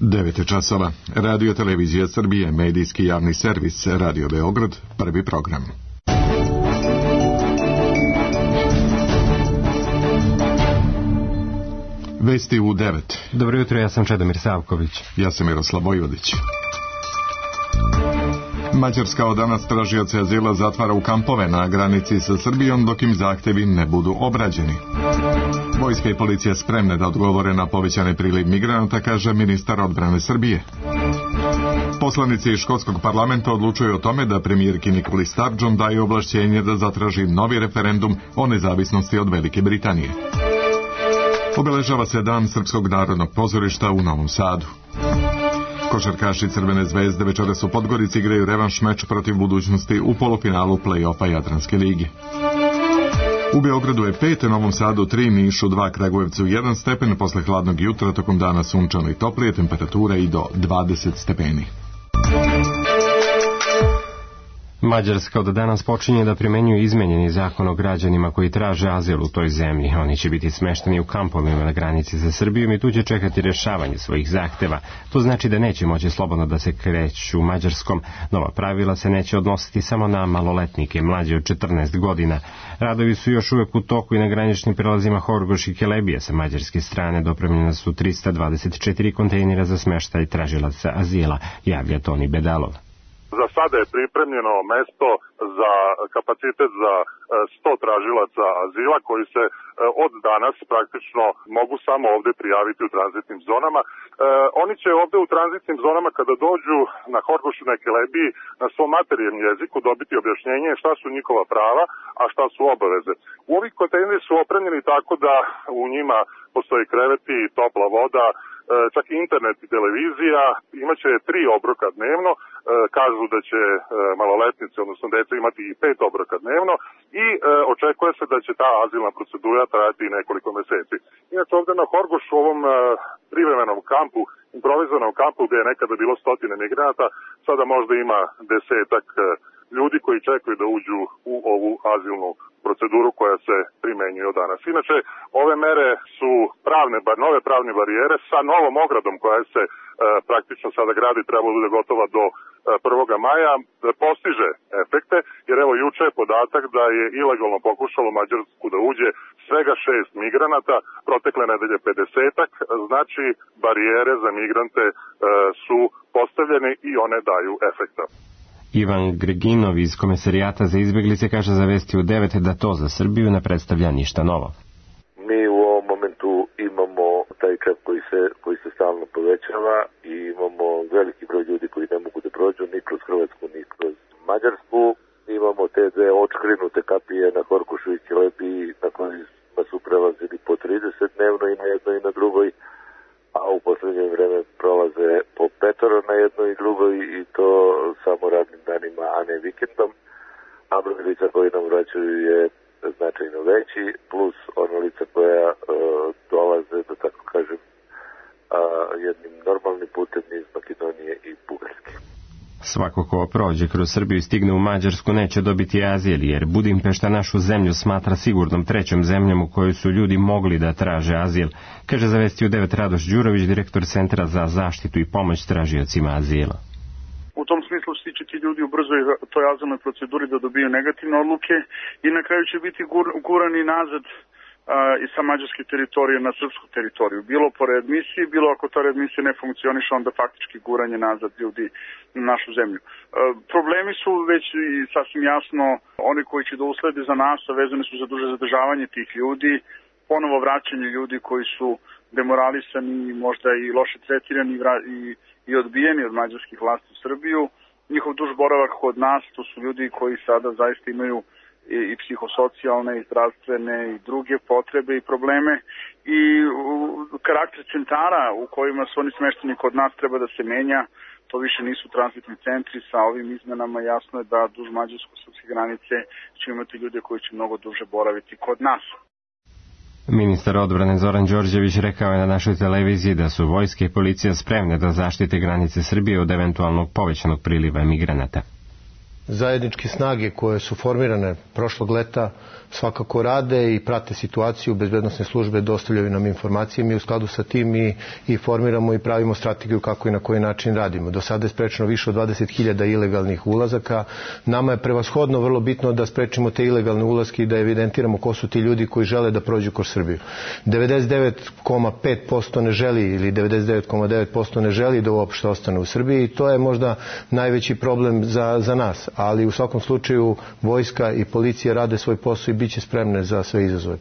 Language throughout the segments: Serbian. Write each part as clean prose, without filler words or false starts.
9 časova. Radio Televizija Srbije, medijski javni servis, Radio Beograd, prvi program. Vesti u 9. Dobro jutro, ja sam Čedomir Savković. Ja sam Miroslav Vojvodić. Mađarska od danas tražioce azila zatvara u kampove na granici sa Srbijom dok im zahtevi ne budu obrađeni. Vojska i policija spremne da odgovore na povećani priliv migranata, kaže ministar odbrane Srbije. Poslanici škotskog parlamenta odlučuju o tome da premijerki Nikoli Sturgeon daje ovlašćenje da zatraži novi referendum o nezavisnosti od Velike Britanije. Obeležava se Dan Srpskog narodnog pozorišta u Novom Sadu. Košarkaši Crvene zvezde večeras u Podgorici igraju revanš meč protiv Budućnosti u polufinalu play-offa Jadranske lige. U Beogradu je 5, Novom Sadu 3, Nišu 2, Kragujevcu 1 stepen, posle hladnog jutra tokom dana sunčano i toplije, temperatura i do 20 stepeni. Mađarska od danas počinje da primenjuje izmenjeni zakon o građanima koji traže azil u toj zemlji. Oni će biti smešteni u kampovima na granici sa Srbijom i tu će čekati rešavanje svojih zahteva. To znači da neće moći slobodno da se kreću Mađarskom. Nova pravila se neće odnositi samo na maloletnike mlađe od 14 godina. Radovi su još uvek u toku i na graničnim prelazima Horgoš i Kelebija. Sa mađarske strane dopremljena su 324 kontejnera za smeštaj tražilaca azila, javlja Toni Bedalov. Za sada je pripremljeno mesto za kapacitet za 100 tražilaca azila koji se od danas praktično mogu samo ovde prijaviti u tranzitnim zonama. Oni će ovde u tranzitnim zonama kada dođu na Horgošu, na Kelebiji, na svom materinjem jeziku dobiti objašnjenje šta su njihova prava, a šta su obaveze. U ovih kontejneri su opremljeni tako da u njima postoji kreveti, topla voda, čak i internet i televizija, imaće 3 obroka dnevno, kažu da će maloletnici, odnosno deca, imati i 5 obroka dnevno i očekuje se da će ta azilna procedura trajati nekoliko meseci. Inače ovde na Horgošu, u ovom privremenom kampu, improvizovanom kampu gde je nekada bilo 100 migranata, sada možda ima 10-ak ljudi koji čekaju da uđu u ovu azilnu proceduru koja se primenjuje od danas. Inače, ove mere su nove pravne barijere sa novom ogradom koja se praktično sada gradi, treba da bude gotova do 1. maja, postiže efekte, jer evo juče je podatak da je ilegalno pokušalo u Mađarsku da uđe svega 6 migranata, protekle nedelje 50-ak, znači barijere za migrante su postavljene i one daju efekta. Ivan Greginov iz Komesarijata za izbeglice kaže za Vesti u 9 da to za Srbiju ne predstavlja ništa novo. Mi u ovom momentu imamo taj čep koji se stalno povećava i imamo veliki broj ljudi koji ne mogu da prođu ni kroz Hrvatsku ni kroz Mađarsku. Imamo te dve očkrinute kapije na Horgošu i Kelebiji na kojima su prelazili po 30 dnevno i na jednoj i na drugoj, a u poslednje vreme prolaze po 5 na jednoj i drugoj i to samo radnim danima, a ne vikendom. A broj lica koji nam vraćaju je značajno veći, plus ona lica koja dolaze, da tako kažem, jednim normalnim putem iz Makedonije i Bugarske. Svako ko prođe kroz Srbiju i stigne u Mađarsku neće dobiti azil, jer Budimpešta našu zemlju smatra sigurnom trećom zemljom u kojoj su ljudi mogli da traže azil, kaže za Vesti u 9 Radoš Đurović, direktor Centra za zaštitu i pomoć tražiocima azila. U tom smislu će ti ljudi ubrzoj toj azilnoj proceduri da dobiju negativne odluke i na kraju će biti gurani nazad i sa mađarske teritorije na srpsku teritoriju. Bilo po readmisiji, bilo ako ta readmisija ne funkcioniše, onda faktički guranje nazad ljudi na našu zemlju. Problemi su već i sasvim jasno oni koji će da uslede za nas, a vezane su za duže zadržavanje tih ljudi, ponovo vraćanje ljudi koji su demoralisani, možda i loše tretirani i odbijeni od mađarskih vlasti u Srbiju. Njihov duž boravak kod nas, to su ljudi koji sada zaista imaju i psihosocijalne, i zdravstvene, i druge potrebe i probleme. I karakter centara u kojima su oni smešteni kod nas treba da se menja. To više nisu tranzitni centri. Sa ovim izmenama jasno je da duž mađarsko-srpske granice će imati ljude koji će mnogo duže boraviti kod nas. Ministar odbrane Zoran Đorđević rekao je na našoj televiziji da su vojske i policija spremne da zaštite granice Srbije od eventualnog povećanog priliva migranata. Zajedničke snage koje su formirane prošlog leta svakako rade i prate situaciju, bezbednosne službe dostavljaju nam informacije, mi u skladu sa tim i formiramo i pravimo strategiju kako i na koji način radimo. Do sada je sprečeno više od 20.000 ilegalnih ulazaka. Nama je prevashodno vrlo bitno da sprečimo te ilegalne ulazke i da evidentiramo ko su ti ljudi koji žele da prođu kroz Srbiju. 99,5% ne želi ili 99,9% ne želi da uopšte ostane u Srbiji i to je možda najveći problem za nas, ali u svakom slučaju vojska i policija rade svoj posao i bit će spremne za sve izazove.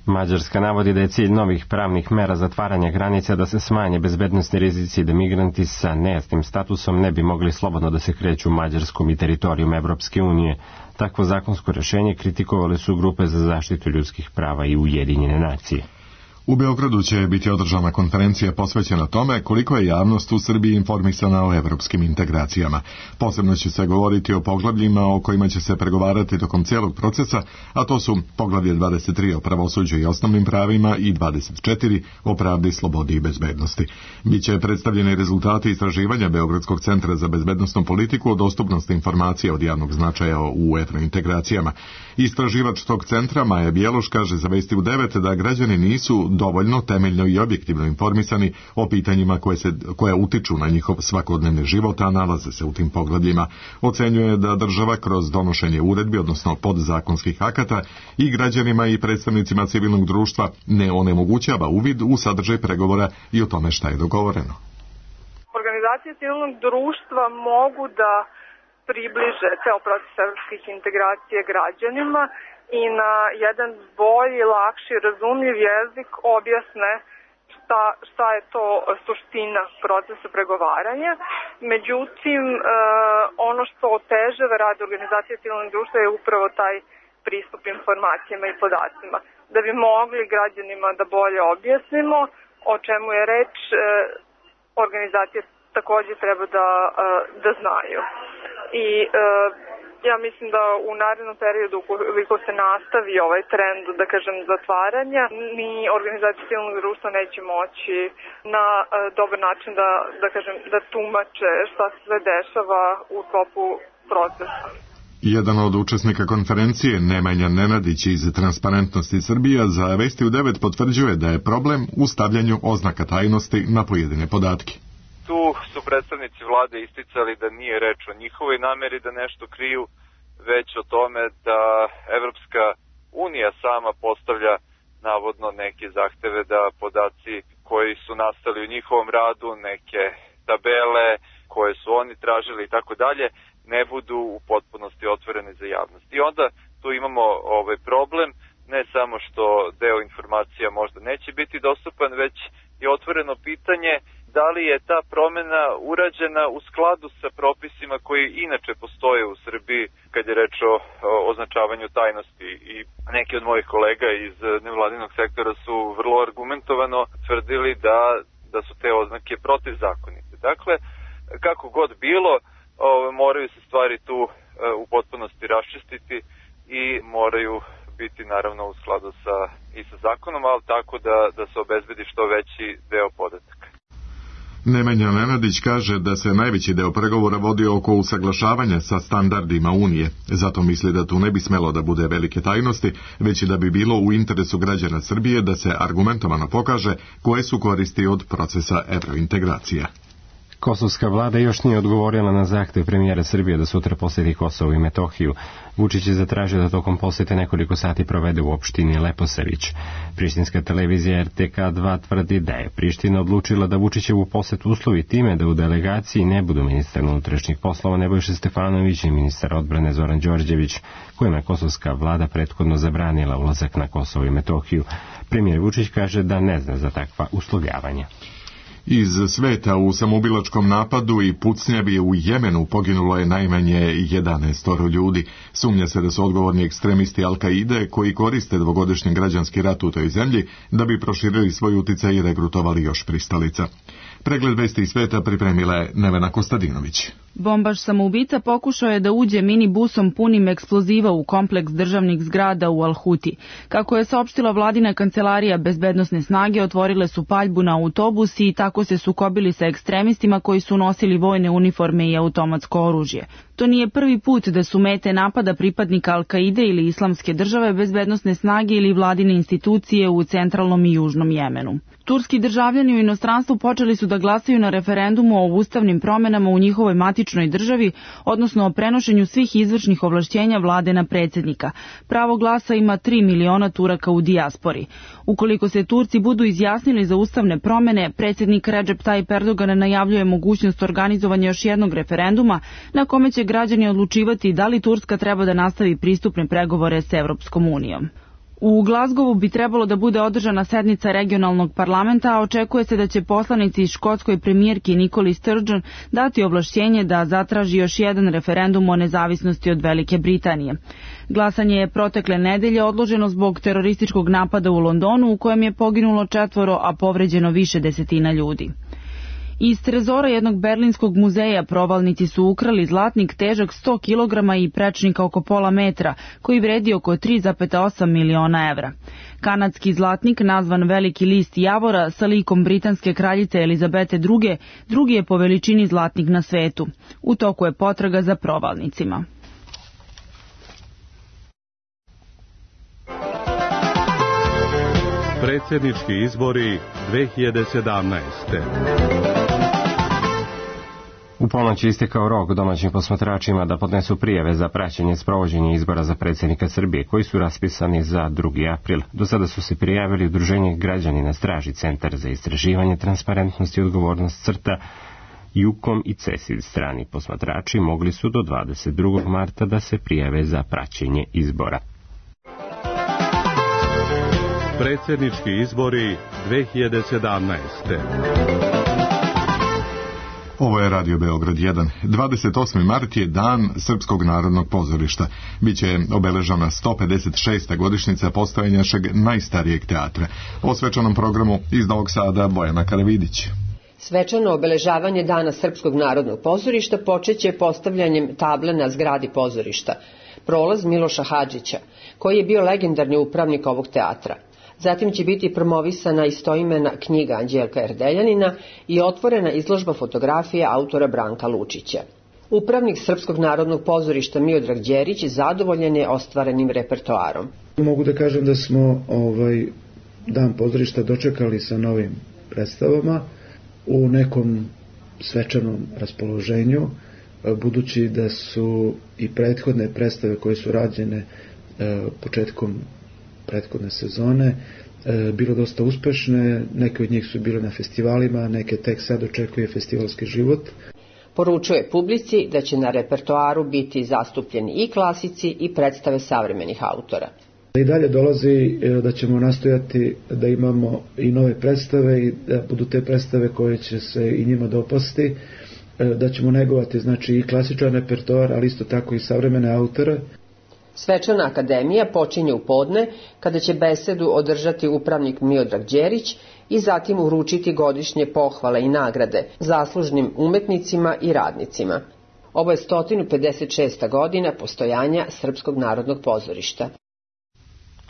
Mađarska navodi da je cilj novih pravnih mera zatvaranja granica da se smanje bezbednosni rizici i da migranti sa nejasnim statusom ne bi mogli slobodno da se kreću mađarskom i teritorijom Evropske unije. Takvo zakonsko rješenje kritikovali su grupe za zaštitu ljudskih prava i Ujedinjene nacije. U Beogradu će biti održana konferencija posvećena tome koliko je javnost u Srbiji informisana o evropskim integracijama. Posebno će se govoriti o poglavljima o kojima će se pregovarati tokom cijelog procesa, a to su poglavlje 23 o pravosuđu i osnovnim pravima i 24 o pravdi, slobodi i bezbednosti. Biće predstavljeni rezultati istraživanja Beogradskog centra za bezbednosnu politiku o dostupnosti informacija od javnog značaja u evrointegracijama. Istraživač tog centra Maja Bjeloš kaže za Vesti u 9 da građani nisu dovoljno temeljno i objektivno informisani o pitanjima koje utiču na njihov svakodnevni život, a nalaze se u tim poglavljima. Ocenjuje da država kroz donošenje uredbi, odnosno podzakonskih akata, i građanima i predstavnicima civilnog društva ne onemogućava uvid u sadržaj pregovora i o tome šta je dogovoreno. Organizacije civilnog društva mogu da približe ceo proces evropskih integracija građanima i na jedan bolji, lakši, razumljiv jezik objasne šta je to suština procesa pregovaranja. Međutim, ono što otežava rad organizacije civilnog društva je upravo taj pristup informacijama i podacima. Da bi mogli građanima da bolje objasnimo o čemu je reč, organizacije takođe treba da znaju. I ja mislim da u narednom periodu, ukoliko se nastavi ovaj trend, da kažem, zatvaranja, ni organizacije civilnog društva neće moći na dobar način da tumače šta se sve dešava u toku procesa. Jedan od učesnika konferencije, Nemanja Nenadić iz Transparentnosti Srbija, za Vesti u 9 potvrđuje da je problem u stavljanju oznaka tajnosti na pojedine podatke. Tu su predstavnici vlade isticali da nije reč o njihovoj nameri da nešto kriju, već o tome da Evropska unija sama postavlja navodno neke zahteve da podaci koji su nastali u njihovom radu, neke tabele koje su oni tražili i tako dalje, ne budu u potpunosti otvorene za javnost. I onda tu imamo problem, ne samo što deo informacija možda neće biti dostupan, već je otvoreno pitanje da li je ta promena urađena u skladu sa propisima koji inače postoje u Srbiji kad je reč o označavanju tajnosti. I neki od mojih kolega iz nevladinog sektora su vrlo argumentovano tvrdili da su te oznake protivzakonite. Dakle, kako god bilo, moraju se stvari tu u potpunosti raščistiti i moraju biti naravno u skladu i sa zakonom, ali tako da se obezbedi što veći deo podataka. Nemanja Nenadić kaže da se najveći deo pregovora vodi oko usaglašavanja sa standardima Unije. Zato misli da tu ne bi smelo da bude velike tajnosti, već i da bi bilo u interesu građana Srbije da se argumentovano pokaže koje su koristi od procesa evrointegracija. Kosovska vlada još nije odgovorila na zahtev premijera Srbije da sutra posjeti Kosovo i Metohiju. Vučić je zatražio da tokom posjete nekoliko sati provede u opštini Leposavić. Prištinska televizija RTK2 tvrdi da je Priština odlučila da Vučićevu posjet uslovi time da u delegaciji ne budu ministar unutrašnjih poslova Nebojša Stefanović i ministar odbrane Zoran Đorđević, kojima je kosovska vlada prethodno zabranila ulazak na Kosovo i Metohiju. Premijer Vučić kaže da ne zna za takva uslovljavanja. Iz sveta u samoubilačkom napadu i pucnjavi u Jemenu poginulo je najmanje 11 ljudi. Sumnja se da su odgovorni ekstremisti Al-Kaide koji koriste dvogodišnji građanski rat u toj zemlji da bi proširili svoj uticaj i regrutovali još pristalica. Pregled vesti iz sveta pripremila je Nevena Kostadinović. Bombaš samoubica pokušao je da uđe minibusom punim eksploziva u kompleks državnih zgrada u Al-Huti. Kako je saopštila vladina kancelarija, bezbednosne snage otvorile su paljbu na autobus i tako se sukobili sa ekstremistima koji su nosili vojne uniforme i automatsko oružje. To nije prvi put da su mete napada pripadnika Al-Kaide ili Islamske države, bezbednosne snage ili vladine institucije u centralnom i južnom Jemenu. Turski državljani u inostranstvu počeli su da glasaju na referendumu o ustavnim promenama u njihovoj matičnoj državi, odnosno o prenošenju svih izvršnih ovlašćenja vlade na predsjednika. Pravo glasa ima 3 miliona Turaka u dijaspori. Ukoliko se Turci budu izjasnili za ustavne promene, predsjednik Recep Tayyip Erdogan najavljuje mogućnost organizovanja još jednog referenduma na kome će građani odlučivati da li Turska treba da nastavi pristupne pregovore s Evropskom unijom. U Glasgowu bi trebalo da bude održana sednica regionalnog parlamenta, a očekuje se da će poslanici škotskoj premijerki Nikoli Sturgeon dati ovlašćenje da zatraži još jedan referendum o nezavisnosti od Velike Britanije. Glasanje je protekle nedelje odloženo zbog terorističkog napada u Londonu u kojem je poginulo 4, a povređeno više desetina ljudi. Iz trezora jednog berlinskog muzeja provalnici su ukrali zlatnik težak 100 kg i prečnika oko pola metra, koji vredi oko 3,8 miliona evra. Kanadski zlatnik, nazvan Veliki list javora, sa likom britanske kraljice Elizabete II, drugi je po veličini zlatnik na svetu. U toku je potraga za provalnicima. Predsjednički izbori 2017. U ponoć je istekao rok domaćim posmatračima da podnesu prijave za praćenje sprovođenja izbora za predsjednika Srbije, koji su raspisani za 2. april. Do sada su se prijavili Udruženje Građanina Straži, Centar za istraživanje, transparentnost i odgovornost CRTA, Jukom i CESID. Strani posmatrači mogli su do 22. marta da se prijave za praćenje izbora. Predsjednički izbori 2017. Ovo je Radio Beograd 1. 28. mart je dan Srpskog narodnog pozorišta. Biće obeležena 156. godišnjica postojanja našeg najstarijeg teatra. O svečanom programu iz Novog Sada Bojana Karavidić. Svečano obeležavanje Dana Srpskog narodnog pozorišta počeće postavljanjem table na zgradi pozorišta. Prolaz Miloša Hadžića, koji je bio legendarni upravnik ovog teatra. Zatim će biti promovisana istoimena knjiga Anđelka Erdeljanina i otvorena izložba fotografije autora Branka Lučića. Upravnik Srpskog narodnog pozorišta Miodrag Đerić zadovoljan je ostvarenim repertoarom. Mogu da kažem da smo Dan pozorišta dočekali sa novim predstavama u nekom svečanom raspoloženju, budući da su i prethodne predstave koje su rađene početkom prethodne sezone bilo dosta uspešne, neke od njih su bile na festivalima, neke tek sad očekuje festivalski život. Poručuje publici da će na repertoaru biti zastupljeni i klasici i predstave savremenih autora. I dalje dolazi da ćemo nastojati da imamo i nove predstave i da budu te predstave koje će se i njima dopasti, da ćemo negovati znači i klasičan repertoar, ali isto tako i savremene autore. Svečana akademija počinje u podne, kada će besedu održati upravnik Miodrag Đerić i zatim uručiti godišnje pohvale i nagrade zaslužnim umetnicima i radnicima. Ovo je 156. godina postojanja Srpskog narodnog pozorišta.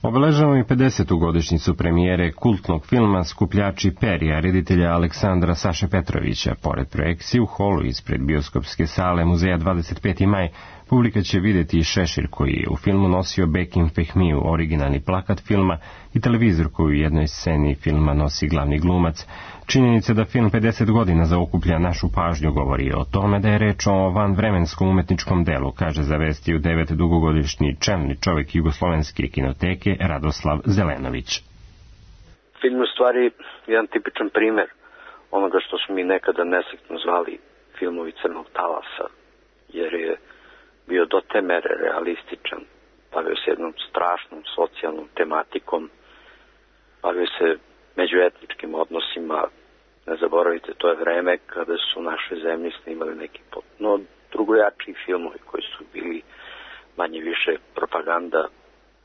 Obeležavamo i 50. godišnjicu premijere kultnog filma Skupljači perja reditelja Aleksandra Saše Petrovića. Pored projekcije u holu ispred bioskopske sale muzeja 25. maj, publika će vidjeti i šešir koji je u filmu nosio Bekim Fehmiju, originalni plakat filma, i televizor koji u jednoj sceni filma nosi glavni glumac. Činjenica da film 50 godina zaokuplja našu pažnju govori o tome da je reč o vanvremenskom umetničkom delu, kaže za Vesti u 9 dugogodišnji čelni čovjek Jugoslovenske kinoteke Radoslav Zelenović. Film je u stvari jedan tipičan primer onoga što smo mi nekada nesretno zvali filmovi crnog talasa, jer je bio do te mere realističan, bavio se jednom strašnom socijalnom tematikom, bavio se međuetničkim odnosima. Ne zaboravite, to je vreme kada su naše zemlje snimali neki potpuno drugojačiji filmovi koji su bili manje više propaganda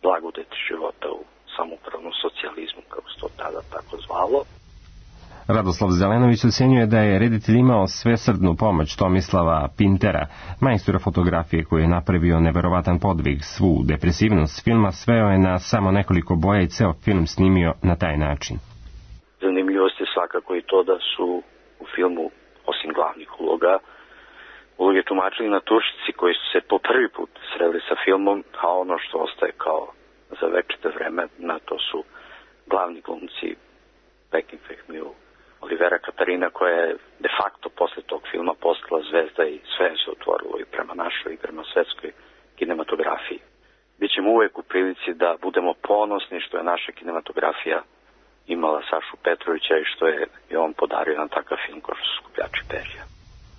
blagodeti života u samoupravnom socijalizmu, kako se to tada tako zvalo. Radoslav Zelenović ocenjuje da je reditelj imao svesrdnu pomoć Tomislava Pintera, majstora fotografije koji je napravio neverovatan podvig. Svu depresivnost filma sveo je na samo nekoliko boja i ceo film snimio na taj način. Zanimljivost je svakako i to da su u filmu, osim glavnih uloge tumačili naturšci koji su se po prvi put sreli sa filmom, a ono što ostaje kao za večito vremena, to su glavni glumci Beckenfehmiju, Olivera Katarina, koja je de facto posle tog filma postala zvezda i sve se otvorilo i prema našoj i prema svetskoj kinematografiji. Bićemo uvek u prilici da budemo ponosni što je naša kinematografija imala Sašu Petrovića i što je on podario jedan takav film kao što su Skupljači perja.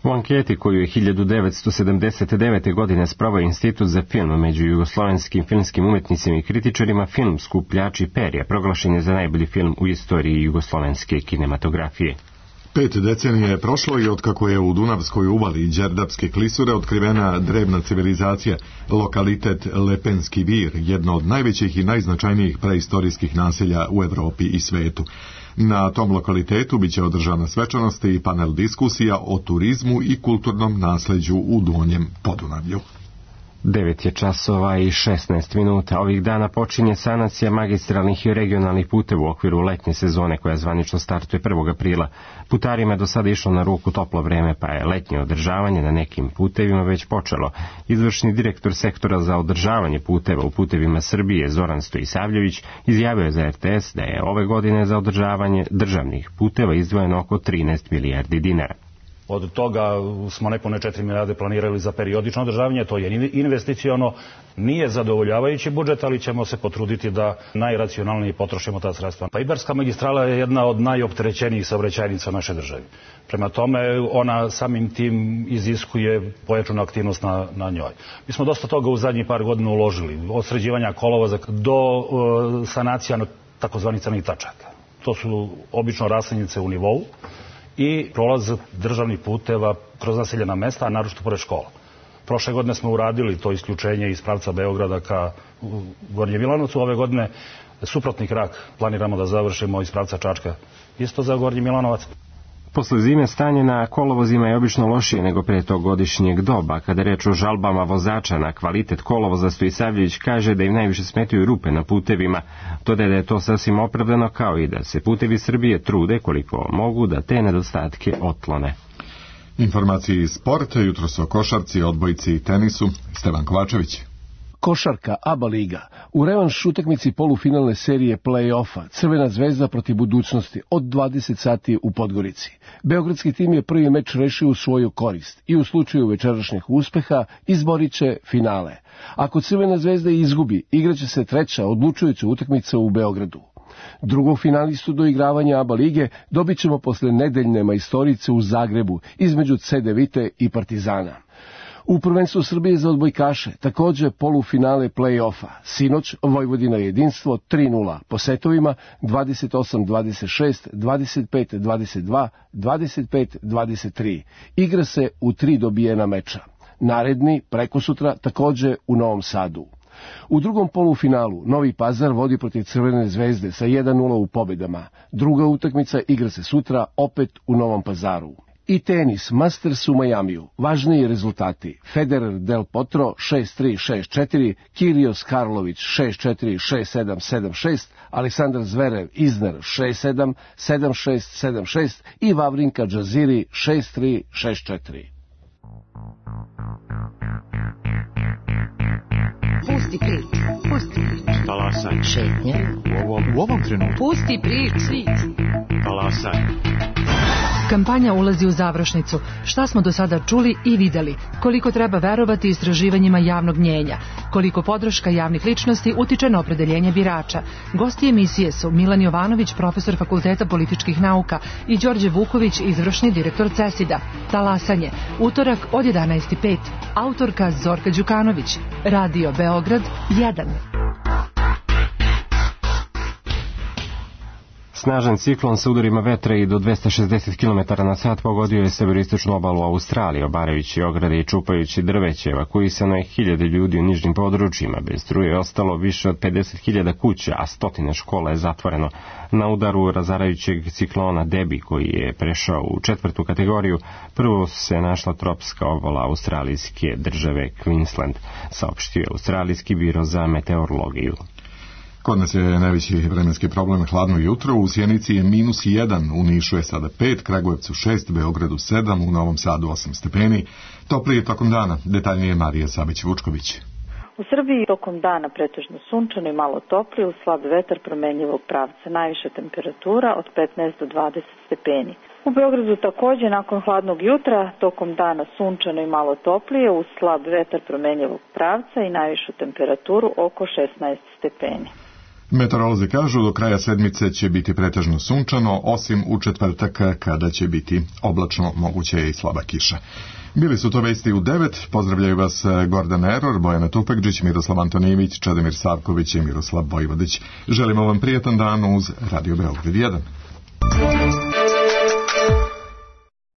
U anketi koju je 1979. godine sproveo Institut za film među jugoslovenskim filmskim umetnicima i kritičarima, film Skupljači perja proglašen je za najbolji film u istoriji jugoslovenske kinematografije. 5 decenija je prošlo i otkako je u Dunavskoj uvali Đerdapske klisure otkrivena drevna civilizacija, lokalitet Lepenski vir, jedno od najvećih i najznačajnijih preistorijskih naselja u Evropi i svetu. Na tom lokalitetu biće održana svečanost i panel diskusija o turizmu i kulturnom nasleđu u Donjem Podunavlju. 9 je časova i 16 minuta. Ovih dana počinje sanacija magistralnih i regionalnih puteva u okviru letnje sezone koja zvanično startuje 1. aprila. Putarima je do sada išlo na ruku toplo vreme, pa je letnje održavanje na nekim putevima već počelo. Izvršni direktor sektora za održavanje puteva u putevima Srbije Zoran Stojisavljević izjavio je za RTS da je ove godine za održavanje državnih puteva izdvojeno oko 13 milijardi dinara. Od toga smo nepune 4 milijarde planirali za periodično održavanje, to je investiciono, nije zadovoljavajući budžet, ali ćemo se potruditi da najracionalnije potrošimo ta sredstva. Pa Ibarska magistrala je jedna od najopterećenijih saobraćajnica naše države. Prema tome, ona samim tim iziskuje pojačanu aktivnost na njoj. Mi smo dosta toga u zadnjih par godina uložili, od sređivanja kolovoza do sanacija takozvanih crnih tačaka. To su obično raslinjice u nivou i prolaz državnih puteva kroz naseljena mesta, a naročito pored škola. Prošle godine smo uradili to isključenje iz pravca Beograda ka Gornjem Milanovcu. Ove godine suprotni krak planiramo da završimo iz pravca Čačka isto za Gornji Milanovac. Posle zime stanje na kolovozima je obično lošije nego pre tog godišnjeg doba. Kada reč o žalbama vozača na kvalitet kolovoza, Stojisavljević kaže da im najviše smetaju rupe na putevima. Dodaje da je to sasvim opravdano, kao i da se putevi Srbije trude koliko mogu da te nedostatke otklone. Informacije iz sporta, jutros o košarci, odbojci i tenisu. Stevan Kovačević. Košarka ABA liga. U revanš utakmici polufinalne serije play-offa Crvena zvezda protiv Budućnosti od 20 sati u Podgorici. Beogradski tim je prvi meč rešio u svoju korist i u slučaju večerašnjeg uspeha izborit će finale. Ako Crvena zvezda izgubi, igraće se treća odlučujuća utakmica u Beogradu. Drugog finalistu do igravanja ABA lige dobit ćemo posle nedeljne majstorice u Zagrebu između CDVite i Partizana. U prvenstvu Srbije za odbojkaše, takođe polufinale play-offa. Sinoć Vojvodina jedinstvo 3:0 po setovima 28-26, 25-22, 25-23. Igra se u 3 dobijena meča. Naredni, prekosutra, takođe u Novom Sadu. U drugom polufinalu Novi Pazar vodi protiv Crvene zvezde sa 1:0 u pobedama. Druga utakmica igra se sutra opet u Novom Pazaru. I tenis, Masters u Majamiju. Važniji rezultati. Federer Del Potro 6-3, 6-4, Kyrgios Karlović 6-4, 6-7, 7-6, Aleksandar Zverev Isner 6-7, 7-6, 7-6 i Vavrinka Džaziri 6-3, 6-4. Pusti priču, pusti priču. Talasaj. Šetnja. U ovom trenutku. Pusti priču. Talasaj. Kampanja ulazi u završnicu. Šta smo do sada čuli i videli? Koliko treba verovati istraživanjima javnog mnjenja? Koliko podrška javnih ličnosti utiče na opredeljenje birača? Gosti emisije su Milan Jovanović, profesor Fakulteta političkih nauka, i Đorđe Vuković, izvršni direktor CESID-a. Talasanje. Utorak od 11:05. Autorka Zorka Đukanović. Radio Beograd 1. Snažan ciklon sa udarima vetra i do 260 km na sat pogodio je severoistočnu obalu Australije, obarajući ograde i čupajući drveće. Evakuisano je 1000 ljudi u nižnim područjima. Bez struje je ostalo više od 50.000 kuća, a stotine škola je zatvoreno. Na udaru razarajućeg ciklona Debi, koji je prešao u 4. kategoriju, prvo se našla tropska obala australijske države Queensland, saopštio je Australijski biro za meteorologiju. Kod nas je najveći vremenski problem hladno jutro, u Sjenici je -1, u Nišu je sada 5, Kragujevcu 6, Beogradu 7, u Novom Sadu 8 stepeni. Toplije tokom dana, detaljnije Marija Sabić-Vučković. U Srbiji tokom dana pretežno sunčano i malo toplije, uz slab vetar promenljivog pravca, najviša temperatura od 15 do 20 stepeni. U Beogradu također nakon hladnog jutra, tokom dana sunčano i malo toplije, uz slab vetar promenljivog pravca i najvišu temperaturu oko 16 stepeni. Meteorolozi kažu do kraja sedmice će biti pretežno sunčano, osim u četvrtak kada će biti oblačno, moguće je i slaba kiša. Bili su to vesti u 9, pozdravljaju vas Gordan Eror, Bojana Tupekđić, Miroslav Antonijević, Čedomir Savković i Miroslav Vojvodić. Želimo vam prijetan dan uz Radio Beograd 1.